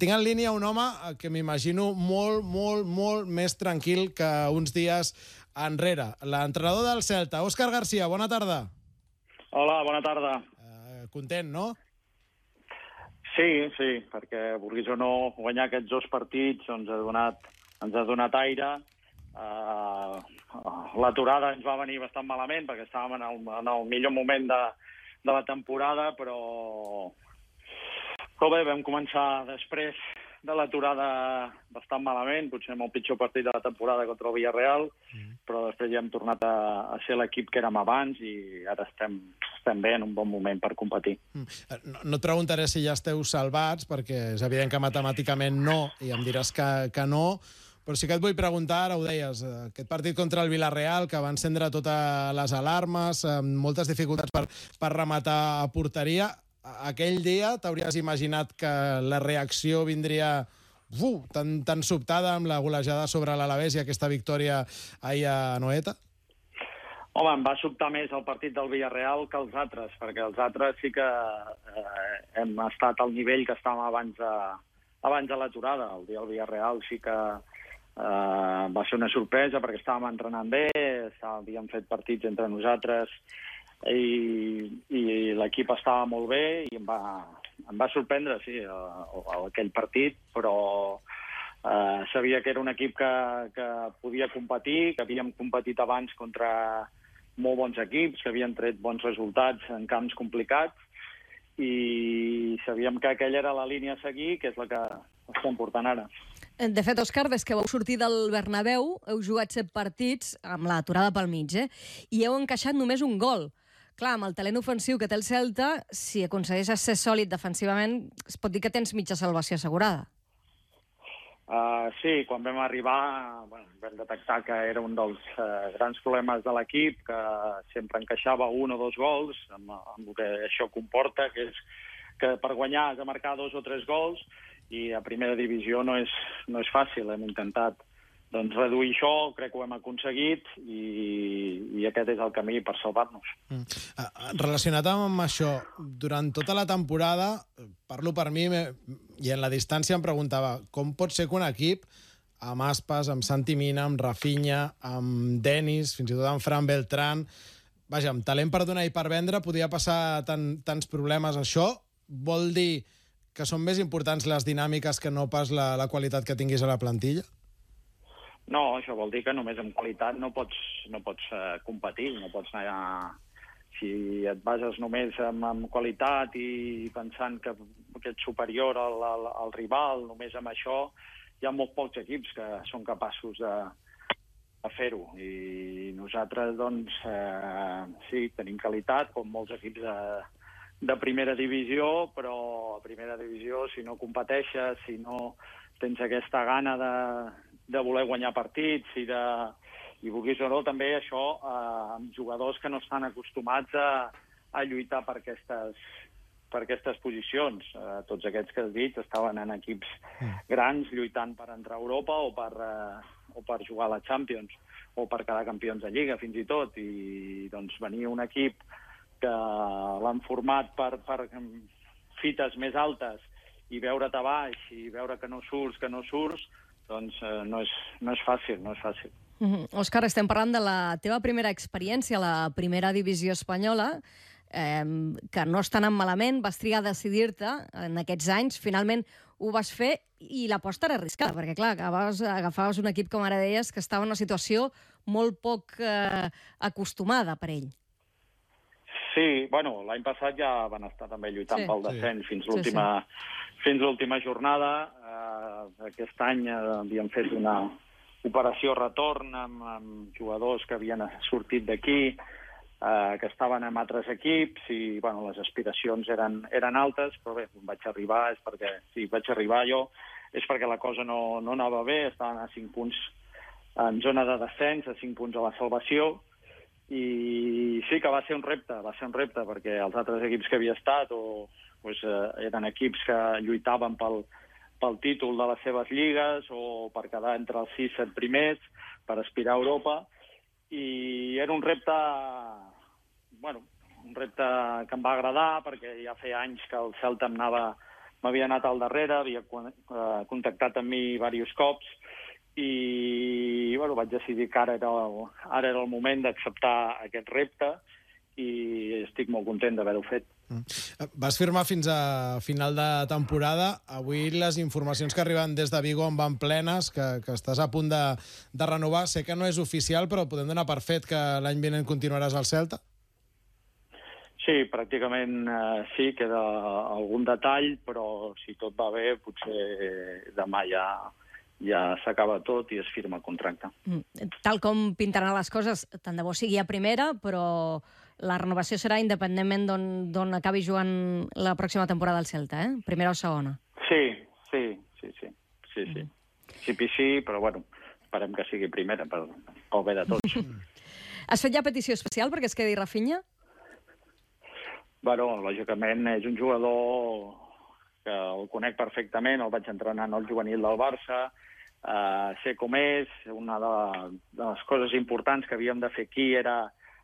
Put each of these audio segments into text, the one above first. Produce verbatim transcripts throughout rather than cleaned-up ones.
Tinc en línia un home que m'imagino molt, molt, molt més tranquil que uns dies enrere. L'entrenador del Celta, Òscar García, bona tarda. Hola, bona tarda. Uh, content, no? Sí, sí, perquè, vulguis o no, guanyar aquests dos partits ens ha donat, ens ha donat aire. Uh, L'aturada ens va venir bastant malament, perquè estàvem en el, en el millor moment de, de la temporada, però... Però bé, vam començar després de l'aturada bastant malament, potser amb el pitjor partit de la temporada contra el Villarreal, mm. però després ja hem tornat a, a ser l'equip que érem abans i ara estem, estem bé en un bon moment per competir. Mm. No, no et preguntaré si ja esteu salvats, perquè és evident que matemàticament no, i em diràs que, que no, però sí que et vull preguntar, ara ho deies, aquest partit contra el Villarreal, que va encendre totes les alarmes, amb moltes dificultats per, per rematar a porteria. Aquell dia t'hauries imaginat que la reacció vindria uf, tan, tan sobtada amb la golejada sobre l'Alavés i aquesta victòria ahir a Anoeta? Home, em va sobtar més el partit del Villarreal que els altres, perquè els altres sí que eh, hem estat al nivell que estàvem abans de, abans de l'aturada. El dia del Villarreal sí que eh, va ser una sorpresa perquè estàvem entrenant bé, havíem fet partits entre nosaltres i, i l'equip estava molt bé i em va, em va sorprendre, sí, aquell partit, però eh, sabia que era un equip que, que podia competir, que havíem competit abans contra molt bons equips, que havien tret bons resultats en camps complicats i sabíem que aquella era la línia a seguir, que és la que estem portant ara. De fet, Òscar, des que vau sortir del Bernabéu, heu jugat set partits amb l'aturada pel mig, eh? I heu encaixat només un gol. Clar, amb el talent ofensiu que té el Celta, si aconsegueixes ser sòlid defensivament, es pot dir que tens mitja salvació assegurada. Uh, sí, quan vam arribar bueno, vam detectar que era un dels uh, grans problemes de l'equip, que sempre encaixava un o dos gols, amb, amb el que això comporta, que és que per guanyar has de marcar dos o tres gols, i a primera divisió no és, no és fàcil. Hem intentat doncs, reduir això, crec que ho hem aconseguit, i, i aquest és el camí per salvar-nos. Mm. Relacionat amb això, durant tota la temporada, parlo per mi, i en la distància em preguntava com pot ser que un equip, amb Aspas, amb Santi Mina, amb Rafinha, amb Denis, fins i tot amb Fran Beltrán, vaja, amb talent per donar i per vendre, podia passar tan, tants problemes. Això vol dir que són més importants les dinàmiques que no pas la, la qualitat que tinguis a la plantilla? No, això vol dir que només amb qualitat no pots, no pots uh, competir, no pots anar a... Si et bases només en, en qualitat i pensant que, que ets superior al, al, al rival, només amb això, hi ha molt pocs equips que són capaços de, de fer-ho. I nosaltres, doncs, eh, sí, tenim qualitat, com molts equips de, de primera divisió, però a primera divisió, si no competeixes, si no tens aquesta gana de de voler guanyar partits i de... I vulguis o no, també això eh, amb jugadors que no estan acostumats a, a lluitar per aquestes, per aquestes posicions. Eh, tots aquests que has dit estaven en equips grans lluitant per entrar a Europa o per, eh, o per jugar a la Champions o per quedar campions de Lliga, fins i tot. I doncs venir un equip que l'han format per, per fites més altes i veure't a baix i veure que no surts, que no surts, doncs eh, no, és, no és fàcil, no és fàcil. Mm-hmm. Òscar, estem parlant de la teva primera experiència a la primera divisió espanyola, eh, que no està anant malament, vas triar a decidir-te en aquests anys, finalment ho vas fer i l'aposta era arriscada, perquè clar, agafaves, agafaves un equip, com ara deies, que estava en una situació molt poc eh, acostumada per ell. Sí, bueno, l'any passat ja van estar també lluitant sí. pel descens sí. fins l'última sí, sí. fins l'última jornada. Uh, aquest any uh, havíem fet una operació retorn amb, amb jugadors que havien sortit d'aquí, uh, que estaven en altres equips, i bueno, les aspiracions eren, eren altes, però bé, on vaig arribar és perquè, si vaig arribar jo, és perquè la cosa no, no anava bé, estaven a cinc punts en zona de descens, a cinc punts a la salvació, i sí que va ser un repte, va ser un repte, perquè els altres equips que havia estat o, pues, eh, eren equips que lluitaven pel, pel títol de les seves lligues o per quedar entre els sis set primers, per aspirar a Europa, i era un repte, bueno, un repte que em va agradar, perquè ja feia anys que el Celta em anava m'havia anat al darrere, havia contactat amb mi diversos cops, i bueno, vaig decidir que ara era el, ara era el moment d'acceptar aquest repte, i estic molt content d'haver-ho fet. Mm. Vas firmar fins a final de temporada. Avui les informacions que arriben des de Vigo en van plenes, que, que estàs a punt de, de renovar. Sé que no és oficial, però podem donar per fet que l'any vinent continuaràs al Celta? Sí, pràcticament eh, sí, queda algun detall, però si tot va bé, potser demà ja, ja s'acaba tot i es firma el contracte. Mm. Tal com pintaran les coses, tant de bo sigui a primera, però la renovació serà independentment d'on acabi jugant la pròxima temporada al Celta, eh? Primera o segona. Sí, sí, sí, sí. sí, sí. Mm. Sí, sí, però bueno, esperem que sigui primera, per, pel bé de tots. Has fet ja petició especial perquè es quedi Rafinha? Bueno, lògicament és un jugador que el conec perfectament, el vaig entrenar en el juvenil del Barça, eh, sé com és, una de, de les coses importants que havíem de fer aquí era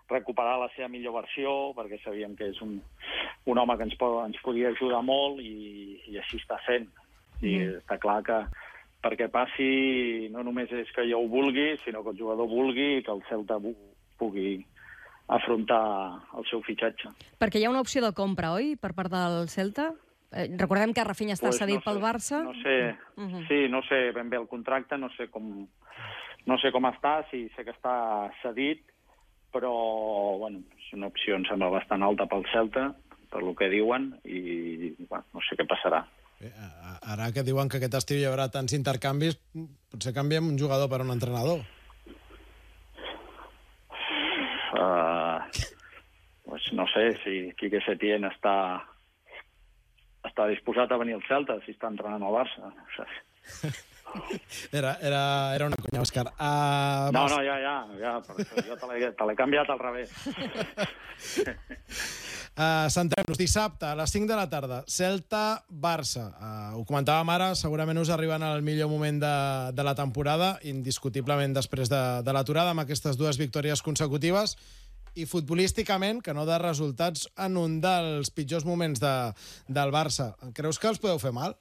recuperar la seva millor versió, perquè sabíem que és un, un home que ens, pot, ens podia ajudar molt, i, i així està fent. I mm. està clar que perquè passi no només és que jo ho vulgui, sinó que el jugador vulgui i que el Celta pugui afrontar el seu fitxatge. Perquè hi ha una opció de compra, oi?, per part del Celta? Eh, recordem que Rafinha està pues cedit no sé, pel Barça. No sé, uh -huh. sí, no sé ben bé el contracte, no sé com, no sé com està, sí, sé que està cedit, però bueno, és una opció, em sembla, bastant alta pel Celta, per lo que diuen, i bueno, no sé què passarà. Bé, ara que diuen que aquest estiu hi haurà tants intercanvis, potser canviem un jugador per un entrenador. Uh, pues no sé si Quique Setién està, està disposat a venir al Celta, si està entrenant al Barça. No sé. Era, era, era una conya, Òscar. Uh, no, no, ja, ja, ja jo te l'he canviat al revés. uh, Centrem-nos, dissabte a les cinc de la tarda, Celta-Barça. Uh, ho comentàvem ara, segurament us arriben al millor moment de, de la temporada, indiscutiblement després de, de l'aturada, amb aquestes dues victòries consecutives, i futbolísticament, que no de resultats, en un dels pitjors moments de, del Barça. Creus que els podeu fer mal?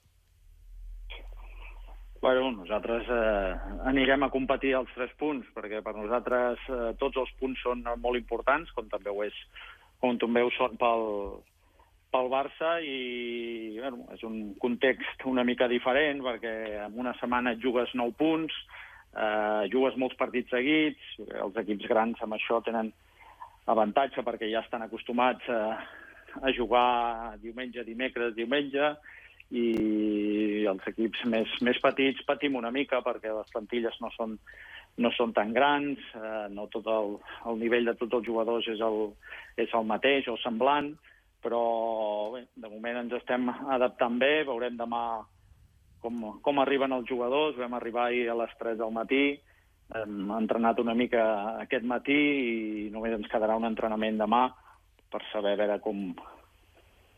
Bueno, nosaltres eh, anirem a competir als tres punts, perquè per nosaltres eh, tots els punts són molt importants, com també ho, és, com també ho són pel, pel Barça, i bueno, és un context una mica diferent, perquè en una setmana et jugues nou punts, eh, jugues molts partits seguits, els equips grans amb això tenen avantatge perquè ja estan acostumats a, a jugar diumenge, dimecres, diumenge, i els equips més, més petits patim una mica perquè les plantilles no són, no són tan grans, eh, no tot el, el nivell de tots els jugadors és el, és el mateix o semblant, però bé, de moment ens estem adaptant bé, veurem demà com, com arriben els jugadors. Vam arribar ahir a les tres del matí, hem entrenat una mica aquest matí i només ens quedarà un entrenament demà per saber a veure com,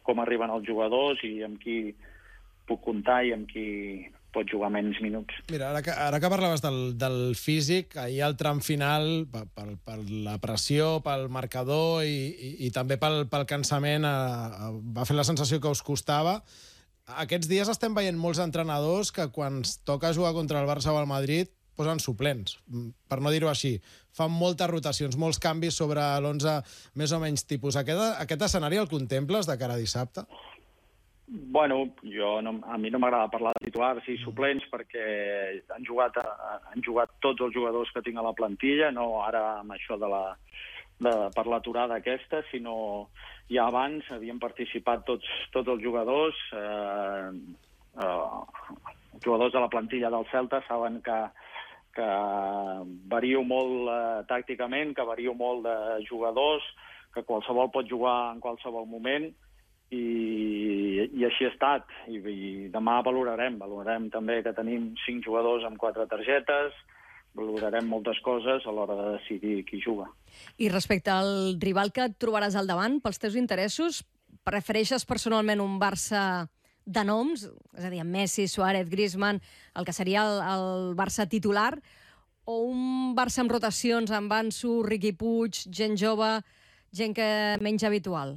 com arriben els jugadors i amb qui puc comptar i amb qui pot jugar menys minuts. Mira, ara que, ara que parlaves del, del físic, ahir al tram final, per, per, per la pressió, pel marcador i, i, i també pel, pel cansament, eh, va fer la sensació que us costava. Aquests dies estem veient molts entrenadors que quan toca jugar contra el Barça o el Madrid posen suplents, per no dir-ho així. Fan moltes rotacions, molts canvis sobre l'onze més o menys tipus. Aquest, aquest escenari el contemples de cara a dissabte? Bueno, jo no, a mi no m'agrada parlar de titulars i suplents perquè han jugat, han jugat tots els jugadors que tinc a la plantilla, no ara amb això de la, de, per l'aturada aquesta, sinó ja abans havien participat tots, tots els jugadors. Eh, eh, els jugadors de la plantilla del Celta saben que, que vario molt eh, tàcticament, que vario molt de jugadors, que qualsevol pot jugar en qualsevol moment, I, i així ha estat. I, i demà valorarem, valorarem també que tenim cinc jugadors amb quatre targetes, valorarem moltes coses a l'hora de decidir qui juga. I respecte al rival que et trobaràs al davant, pels teus interessos, prefereixes personalment un Barça de noms, és a dir, Messi, Suárez, Griezmann, el que seria el, el Barça titular, o un Barça amb rotacions, amb Ansu, Riqui Puig, gent jove, gent que menys habitual?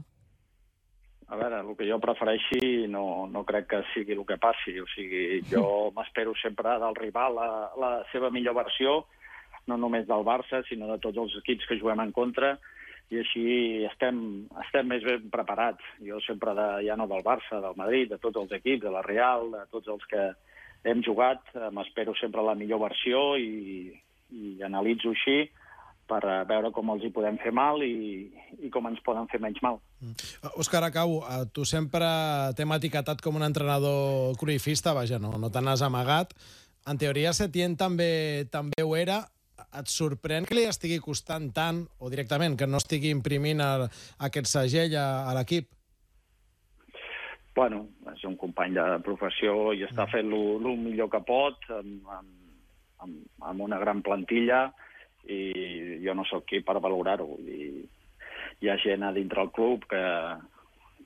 a veure, el que jo prefereixi no, no crec que sigui el que passi. O sigui, jo m'espero sempre del rival la, la seva millor versió, no només del Barça, sinó de tots els equips que juguem en contra, i així estem, estem més ben preparats. Jo sempre, de, ja no del Barça, del Madrid, de tots els equips, de la Real, de tots els que hem jugat, m'espero sempre la millor versió i, i analitzo així per veure com els hi podem fer mal i, i com ens poden fer menys mal. Òscar, acabo. Tu sempre t'hem etiquetat com un entrenador cruifista, vaja, no, no te n'has amagat. En teoria, Setién també, també ho era. Et sorprèn que li estigui costant tant, o directament, que no estigui imprimint el, aquest segell a, a l'equip? Bueno, és un company de professió i està fent el millor que pot, amb, amb, amb una gran plantilla, i jo no sóc qui per valorar-ho. I hi ha gent a dintre el club que,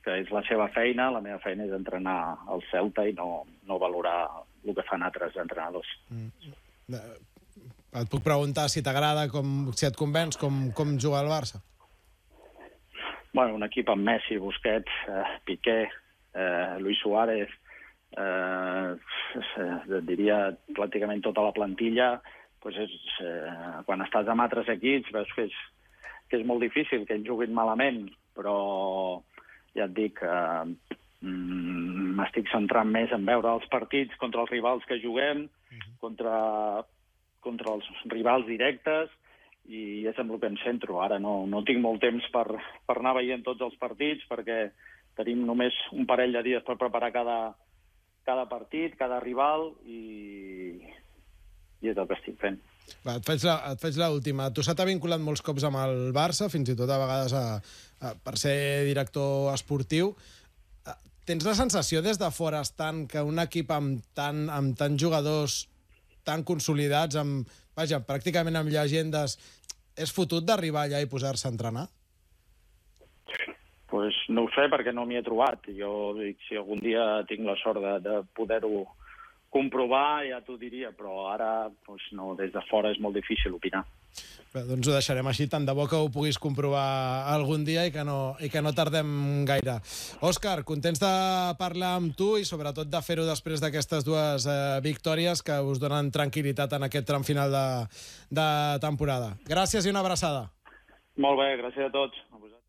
que és la seva feina, la meva feina és entrenar el Celta i no, no valorar el que fan altres entrenadors. Mm. Et puc preguntar si t'agrada, si et convenç, com, com juga el Barça? Bueno, un equip amb Messi, Busquets, eh, Piqué, eh, Luis Suárez, eh, eh, diria pràcticament tota la plantilla. Pues és, eh, quan estàs amb altres equips veus que és, que és molt difícil que ells juguin malament, però ja et dic, eh, m'estic centrant més en veure els partits contra els rivals que juguem, contra... contra els rivals directes, i és amb el que em centro. Ara no, no tinc molt temps per, per anar veient tots els partits, perquè tenim només un parell de dies per preparar cada, cada partit, cada rival, i, i és el que estic fent. Va, et faig la, et faig l'última. Tu se t'ha vinculat molts cops amb el Barça, fins i tot a vegades a, a, per ser director esportiu. Tens la sensació des de fora, estant, que un equip amb tant, amb tants jugadors tan consolidats, amb, vaja, pràcticament amb llegendes, és fotut d'arribar allà i posar-se a entrenar? Pues no ho sé, perquè no m'hi he trobat. Jo dic, si algun dia tinc la sort de, de poder-ho comprovar, ja t'ho diria, però ara pues no, des de fora és molt difícil opinar. Bé, doncs ho deixarem així, tant de bo que ho puguis comprovar algun dia i que no, i que no tardem gaire. Òscar, contents de parlar amb tu i sobretot de fer-ho després d'aquestes dues eh, victòries que us donen tranquil·litat en aquest tram final de, de temporada. Gràcies i una abraçada. Molt bé, gràcies a tots. A vosaltres.